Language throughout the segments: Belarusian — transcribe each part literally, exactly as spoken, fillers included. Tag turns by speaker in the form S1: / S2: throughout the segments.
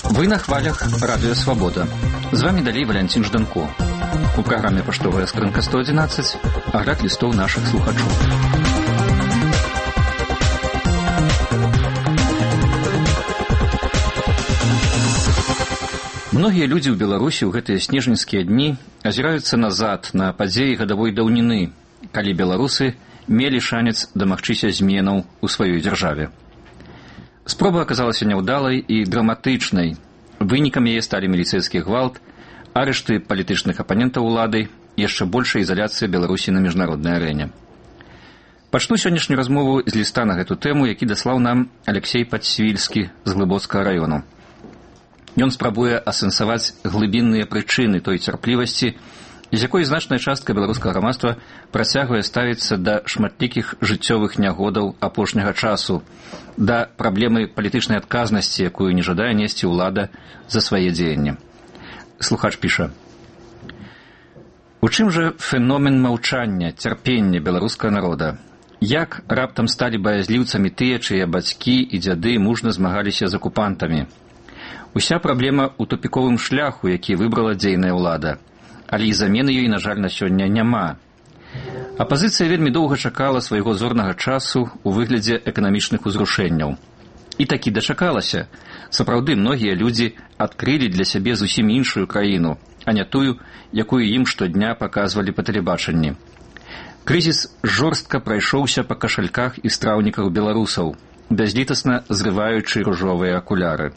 S1: Вы на хвалях Радио Свобода. З вами далей Валянцін Жданко. У праграме «Паштовая скрынка сто одиннадцать» агляд лістоў нашых слухачоў. Многія людзі ў Беларусі ў гэтыя снежаньскія дні азіраюцца назад на падзеі гадавой даўніны, калі беларусы мелі шанец дамагчыся зменаў у сваёй дзяржаве. Спроба аказалася няўдалай і драматычнай. Вынікам яе сталі міліцэйскі гвалт, арышты палітычных апанентаў улады, яшчэ большая ізаляцыя Беларусі на міжнароднай арэне. Пачну сённяшнюю размову з ліста на гэту тэму, які даслаў нам Алексей Падсвільскі з Глыбоцкага раёну. Ён спрабуе асэнсаваць глыбінныя прычыны той цярплівасці, з якой значная частка беларускага грамадства працягвае ставіцца да шматлікіх жыццёвых нягодаў апошняга часу, да праблемы палітычнай адказнасці, якую не жадае несці ўлада за свае дзеянні. Слухач піша: у чым жа феномен маўчання, цярпення беларускага народа? Як раптам сталі баязліўцамі тыя, чые бацькі і дзяды мужна змагаліся з акупантамі? Уся праблема ў тупіковым шляху, які выбрала дзейная ўлада, але і замены ёй, на жаль, на сёння няма. Апазіцыя вельмі доўга чакала свайго зорнага часу ў выглядзе эканамічных узрушэнняў. І такі дачакалася. Сапраўды, многія людзі адкрылі для сябе зусім іншую краіну, а не тую, якую ім штодня паказвалі па тэлебачанні. Крызіс жорстка прайшоўся па кашальках і страўніках беларусаў, бязлітасна зрываючы ружовыя акуляры.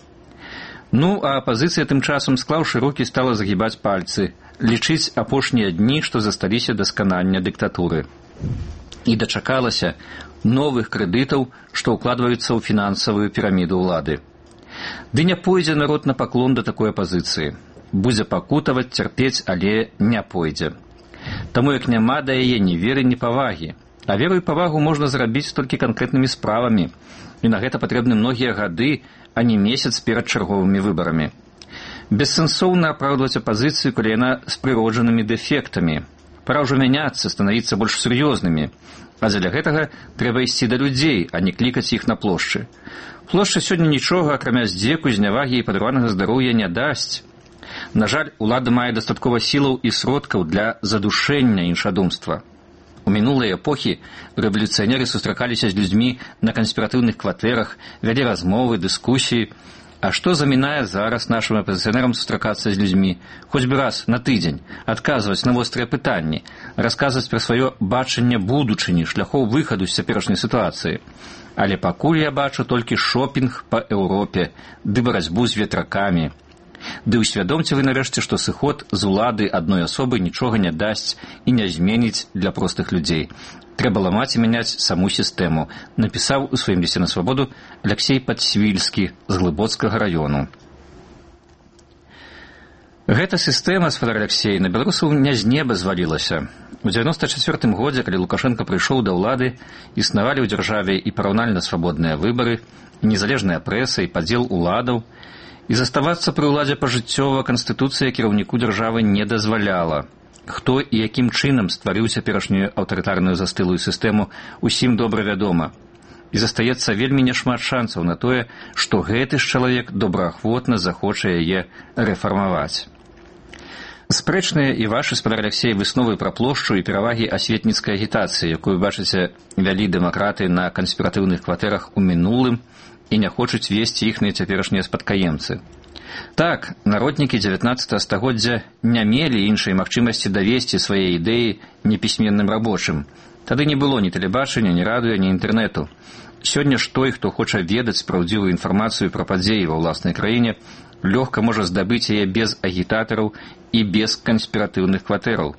S1: Ну, а апазіцыя тым часам, склаўшы рукі, стала загібаць пальцы, лічыць апошнія дні, што засталіся да сканання дыктатуры. І дачакалася новых крэдытаў, што ўкладваюцца ў фінансавую піраміду ўлады. Ды не пойдзе народ на паклон да такой апазіцыі. Будзе пакутаваць, цярпець, але не пойдзе. Таму як няма да яе ні веры, ні павагі. А веру і павагу можна зрабіць толькі канкрэтнымі справамі. І на гэта патрэбны многія гады, а не месяц перад чарговымі выбарамі. Бессэнсоўна апраўдваць апазіцыю, калі яна з прыроджанымі дэфектамі. Пара ўжо мяняцца, станавіцца больш сур'ёзнымі. А дзеля гэтага трэба ісці да людзей, а не клікаць іх на плошчы. Плошча сёння нічога, акрамя здзеку, знявагі і падарванага здароўя не дасць. На жаль, улада мае дастаткова сілаў і сродкаў для задушэння іншадумства. У мінулыя эпохі рэвалюцыянеры сустракаліся з людзьмі на канспіратыўных кватэрах, вялі размовы, дыскусіі. А што замінае зараз нашым апазіцыянерам сустракацца з людзьмі? Хоць бы раз на тыдзень, адказваць на вострыя пытанні, расказваць пра сваё бачанне будучыні, шляхоў выхаду з цяперашняй сітуацыі. Але пакуль я бачу толькі шопінг па Еўропе, ды барацьбу з ветракамі. Ды ўсвядомце вы нарэшце, што сыход з улады адной асобы нічога не дасць і не зменіць для простых людзей. Трэба ламаць і мяняць саму сістэму, напісаў у сваім лісце на свабоду Алексей Падсвільскі з Глыбоцкага раёну. Гэта сістэма, спадар Алексей, на беларусаў не з неба звалілася. У дзевяноста чацвёртым годзе, калі Лукашенко прыйшоў да ўлады, існавалі ў дзяржаве і параўнальна свабодныя выбары, і незалежная прэса, і падзел уладаў, і заставацца пры ўладзе пажыццёва канстытуцыя кіраўніку дзяржавы не дазваляла. Хто і якім чынам стварыў цяперашнюю аўтарытарную застылую сістэму, усім добра вядома. І застаецца вельмі няшмат шансаў на тое, што гэты ж чалавек добраахвотна захоча яе рэфармаваць. Спрэчныя і вашы, спадар Алексей, высновы пра плошчу і перавагі асветніцкай агітацыі, якую, бачыце, вялі дэмакраты на канспіратыўных кватэрах у мінулым, і не хочуць весці іхныя цяперашнія спадкаемцы. Так, народнікі дзевятнаццатага стагоддзя не мелі іншай магчымасці давесці свае ідэі непісьменным рабочым. Тады не было ні тэлебачання, ні радыё, ні інтэрнэту. Сёння ж той, хто хоча ведаць праўдзівую інфармацыю пра падзеі ва ўласнай краіне, лёгка можа здабыць яе без агітатараў і без канспіратыўных кватэраў.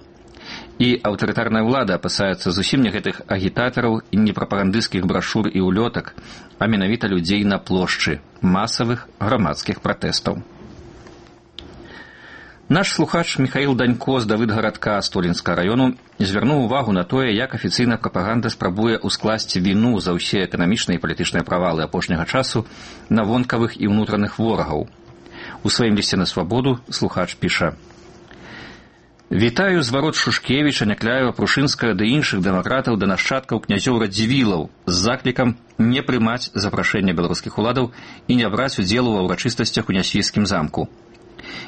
S1: І аўтарытарная ўлада апасаецца зусім не гэтых агітатараў і не прапагандысцкіх брашур і ўлётак, а менавіта людзей на плошчы, масавых грамадскіх пратэстаў. Наш слухач Михаил Данько з Давыдгарадка Столінскага раёну звярнуў увагу на тое, як афіцыйная прапаганда спрабуе ўскласці віну за ўсе эканамічныя і палітычныя правалы апошняга часу на вонкавых і ўнутраных ворагаў. У сваім лісце на свабоду слухач піша: Вітаю зварот Шушкевіча, Някляева, Прушынскага ды іншых дэмакратаў да нашчадкаў князёў Радзівілаў з заклікам не прымаць запрашэння беларускіх уладаў і не браць удзелу ва ўрачыстасцях у Нясвіцкім замку.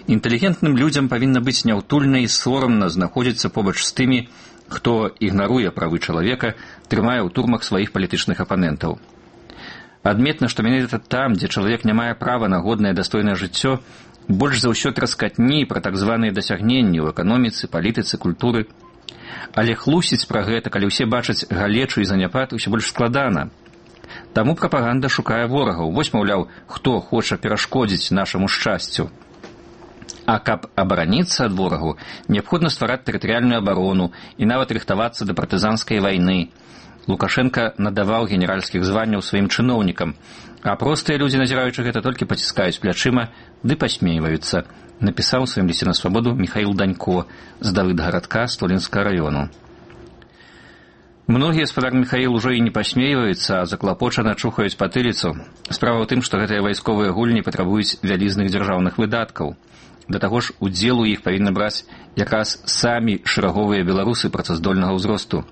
S1: Інтэлігентным людзям павінна быць няўтульна і сорамна знаходзіцца побач з тымі, хто ігнаруе правы чалавека, трымае ў турмах сваіх палітычных апанентаў. Адметна, што менавіта там, дзе чалавек не мае права на годнае дастойнае жыццё, больш за ўсё траскатні пра так званыя дасягненні ў эканоміцы, палітыцы, культуры. Але хлусіць пра гэта, калі ўсе бачаць галечу і заняпад, усё больш складана. Таму прапаганда шукае ворагаў. Вось, маўляў, хто хоча перашкодзіць нашаму шчасцю. А каб абараніцца ад ворагу, неабходна ствараць тэрытарыяльную абарону і нават рыхтавацца да партызанскай вайны. Лукашенка надаваў генеральскіх званняў сваім чыноўнікам, а простыя людзі, назіраючы гэта, толькі паціскаюць плячыма ды пасмейваюцца, напісаў у сваім лісце на свабоду Міхаіл Данько з Давыдгарадка Столінскага раёну. Многія, спадар Міхаіл, ужо і не пасмейваюцца, а заклапочана чухаюць патыліцу. Справа ў тым, што гэтыя вайсковыя гульні патрабуюць вялізных дзяржаўных выдаткаў. Да таго ж, удзел у іх павінны браць якраз самі шэраговыя беларусы працаздольнага ўзросту.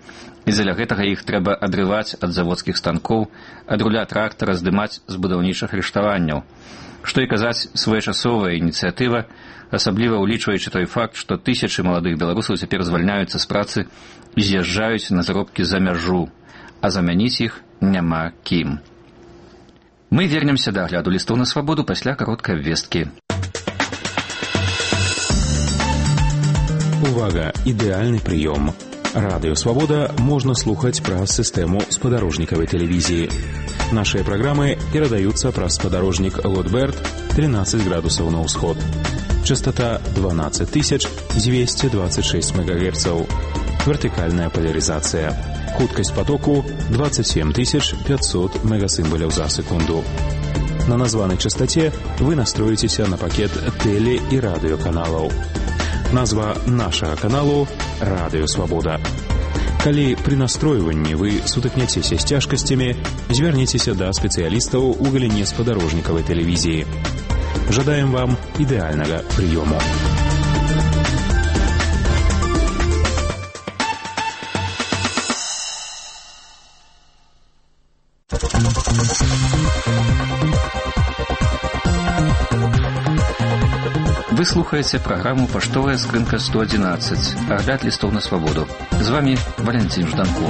S1: І дзеля гэтага іх трэба адрываць ад заводскіх станкоў, ад руля трактара здымаць з будаўнічых рыштаванняў. Што і казаць, своечасовая ініцыятыва, асабліва ўлічваючы той факт, што тысячы маладых беларусаў цяпер звальняюцца з працы і з'язджаюць на заробкі за мяжу, а замяніць іх няма кім. Мы вернемся да агляду лістоў на свабоду пасля кароткай абвесткі.
S2: Увага! Ідэальны прыём. Радыё «Свабода» можна слухаць праз сістэму спадарожнікавай тэлевізіі. Нашыя праграмы перадаюцца праз спадарожнік Лотберт тринадцать градусаў на ўсход. Частота дванадцать тысяч двести двадцать шесть мегагерцаў. Вертыкальная поляризация. Хуткасць потоку двадцать семь тысяч пятьсот мегасимволяў за секунду. На названай частоте вы настроіцеся на пакет тэле- і радыёканалаў. Назва нашага каналу «Радыё Свабода». Калі пры настройванні вы сутыкняцеся з цяжкасцямі, звярніцеся да спецыялістаў у галіне спадарожнікавай тэлевізіі. Жадаем вам ідэальнага прыёму.
S1: Вы слухаеце праграму «Паштовая скрынка сто одиннадцать», агляд лістоў на свабоду. З вами Валентин Жданко.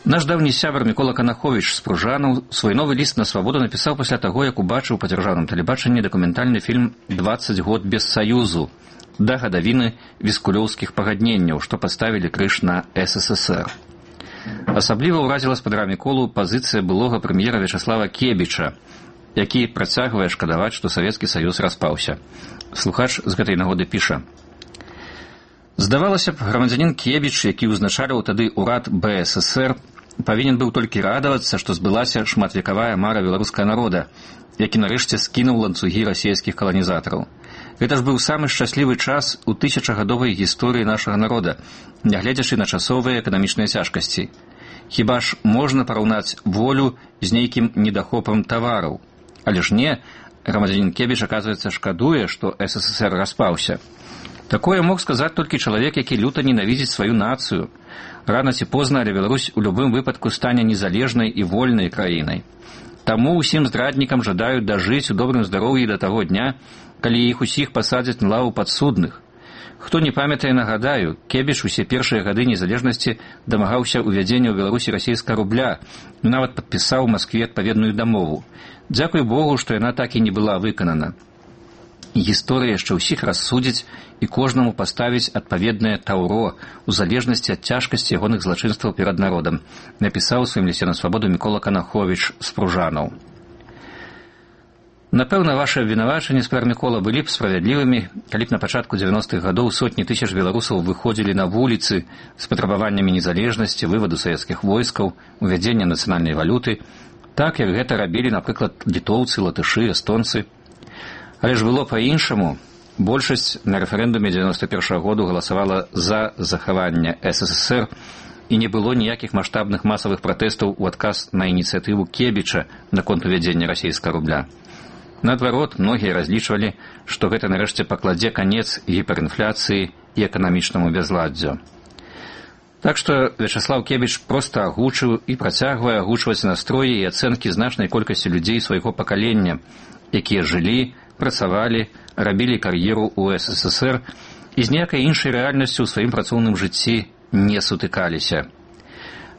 S1: Наш даўні сябар Мікола Канаховіч з Пружанаў свой новы ліст на свабоду напісаў пасля таго, як убачыў па дзяржаўным тэлебачанні дакументальны фільм «двадцать год без Саюзу» да гадавіны віскулёўскіх пагадненняў, што паставілі крыж на эс эс эс эр. Асабліва ўразіла спадара Міколу пазіцыя былога прэм'ера Вячаслава Кебіча, які працягвае шкадаваць, што Савецкі Саюз распаўся. Слухач з гэтай нагоды піша: «Здавалася б, грамадзянін Кебіч, які ўзначаліў тады ўрад бэ эс эс эр, павінен быў толькі радавацца, што збылася шматвекавая мара беларускага народа, які нарэшце скінуў ланцугі расійскіх каланізатараў. Гэта ж быў самы шчаслівы час у тысячагадовай гісторыі нашага народа, нягледзячы на часовыя эканамічныя цяжкасці. Хіба ж можна параўнаць волю з нейкім недахопам тавараў? Але ж не, грамадзянін Кебіч, аказваецца, шкадуе, што эс эс эс эр распаўся. Такое мог сказаць толькі чалавек, які люта ненавідзіць сваю нацыю. Рана ці позна, але Беларусь у любым выпадку стане незалежнай і вольнай краінай. Таму ўсім здраднікам жадаюць дажыць у добрым здароўі да таго дня, калі іх усіх пасадзяць на лаву падсудных. Хто не памятае, нагадаю, Кебіч усе першыя гады незалежнасці дамагаўся ўвядзення ў Беларусі расійскага рубля і нават падпісаў у Маскве адпаведную дамову. Дзякуй Богу, што яна так і не была выканана. Гісторыя яшчэ ўсіх рассудзіць і кожнаму паставіць адпаведнае таўро у залежнасці ад цяжкасці ягоных злачынстваў перад народам, напісаў у сваім лісце на свабоду Мікола Канаховіч з Пружанаў. Напэўна, ваши абвінавачанні, спадар Мікола, былі б справядлівымі, калі б на пачатку дзевяностых гадоў сотні тысяч беларусаў выходзілі на вуліцы з патрабаваннямі незалежнасці, вываду савецкіх войскаў, увядзення нацыянальнай валюты, так, як гэта рабілі, напрыклад, літоўцы, латышы, эстонцы. Але ж было па-іншаму. Большасць на рэферэндуме дзевяносто першага году галасавала за захаванне эс эс эс эр, і не было ніякіх маштабных масавых пратэстаў у адказ на ініцыятыву Кебіча наконт увядзення расійскага рубля. Наадварот, многія разлічвалі, што гэта нарэшце пакладзе канец гіперінфляцыі і эканамічнаму бязладдзю. Так што Вячаслаў Кебіч проста агучыў і працягвае агучваць настроі і ацэнкі значнай колькасці людзей свайго пакалення, якія жылі, працавалі, рабілі кар'еру ў эс эс эс эр і з ніякай іншай рэальнасцю ў сваім працоўным жыцці не сутыкаліся.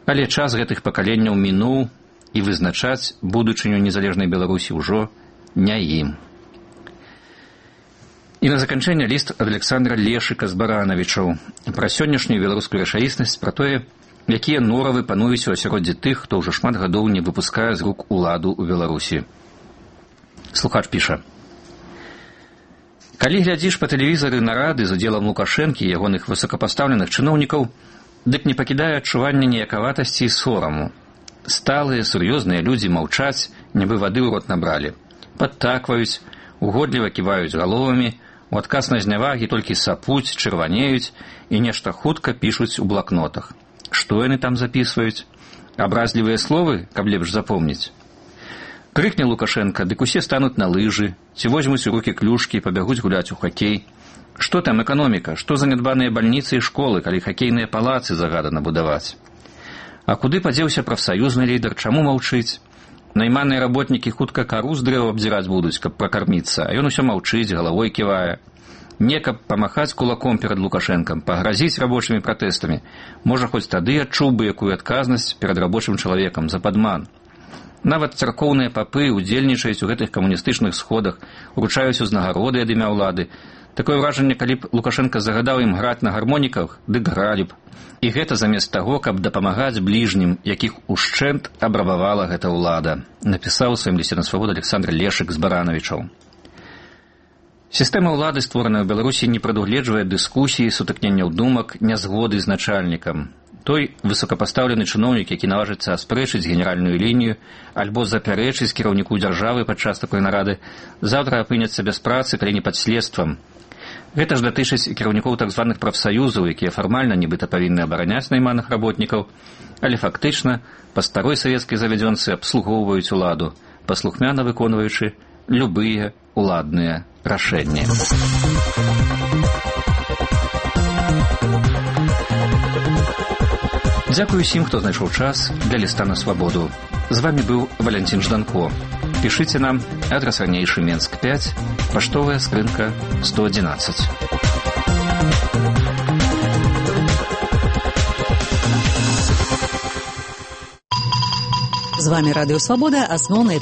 S1: Але час гэтых пакаленняў мінуў, і вызначаць будучыню незалежнай Беларусі ўжо не ім. І на заканчэнне ліст ад Александра Лешыка з Баранавічаў пра сённяшнюю беларускую рэчаіснасць, пра тое, якія норавы пануюць у асяроддзі тых, хто ўжо шмат гадоў не выпускае з рук уладу ў Беларусі. Слухач піша: «Калі глядзіш па тэлевізары нарады з удзелам Лукашэнкі і ягоных высокапастаўленых чыноўнікаў, дык не пакідае адчування ніякаватасці і сораму. Сталыя, сур'ёзныя людзі маўчаць, нібы вады ў рот набралі. Падтакваюць, угодліва ківаюць галовамі, у адказ на знявагі толькі сапуць, чырванеюць і нешта хутка пішуць у блакнотах. Што яны там запісваюць? Абразлівыя словы, каб лепш запомніць? Крыкне Лукашенко, дык усе стануць на лыжы, ці возьмуць у рукі клюшкі і пабягуць гуляць у хакей. Што там эканоміка? Што занядбаныя бальніцы і школы, калі хакейныя палацы загадана будаваць? А куды падзеўся прафсаюзны лідар, чаму маўчыць? Найманыя работнікі хутка кару з дрэва абдзіраць будуць, каб пракарміцца, а ён усё маўчыць, галавой ківае. Не каб памахаць кулаком перад Лукашэнкам, пагразіць рабочымі пратэстамі. Можа, хоць тады адчуў бы якую адказнасць перад рабочым чалавекам за падман. Нават царкоўныя папы удзельнічаюць у гэтых камуністычных сходах, уручаюць узнагароды ад імя ўлады. Такое ўражанне, калі б Лукашенко загадаў ім граць на гармоніках, дык гралі б. І гэта замест таго, каб дапамагаць бліжнім, якіх ушчэнт абрабавала гэта ўлада, напісаў у сваім лісце на свабоду Александр Лешык з Баранавічаў. Сістэма ўлады, створаная ў Беларусі, не прадугледжвае дыскусіі, сутыкненняў думак, нязгоды з начальнікам. Той высокапастаўлены чыноўнік, які наважыцца аспрэчыць генеральную лінію альбо запярэчыць кіраўніку дзяржавы падчас такой нарады, заўтра апынецца без працы, калі не пад следствам. Гэта ж датычыць кіраўнікоў так званых прафсаюзаў, якія фармальна нібыта павінны абараняць найманых работнікаў, але фактычна па старой савецкай завядзёнцы абслугоўваюць уладу, паслухмяна выконваючы любыя уладныя рашэнні. Дзякую усім, хто знайшоў час для ліста на свабоду. З вами быў Валянцін Жданко. Пішыце нам, адрас ранейшы Менск пяць, паштовая скрынка сто одиннадцать.
S3: З вами Радыё Свабода, асноўныя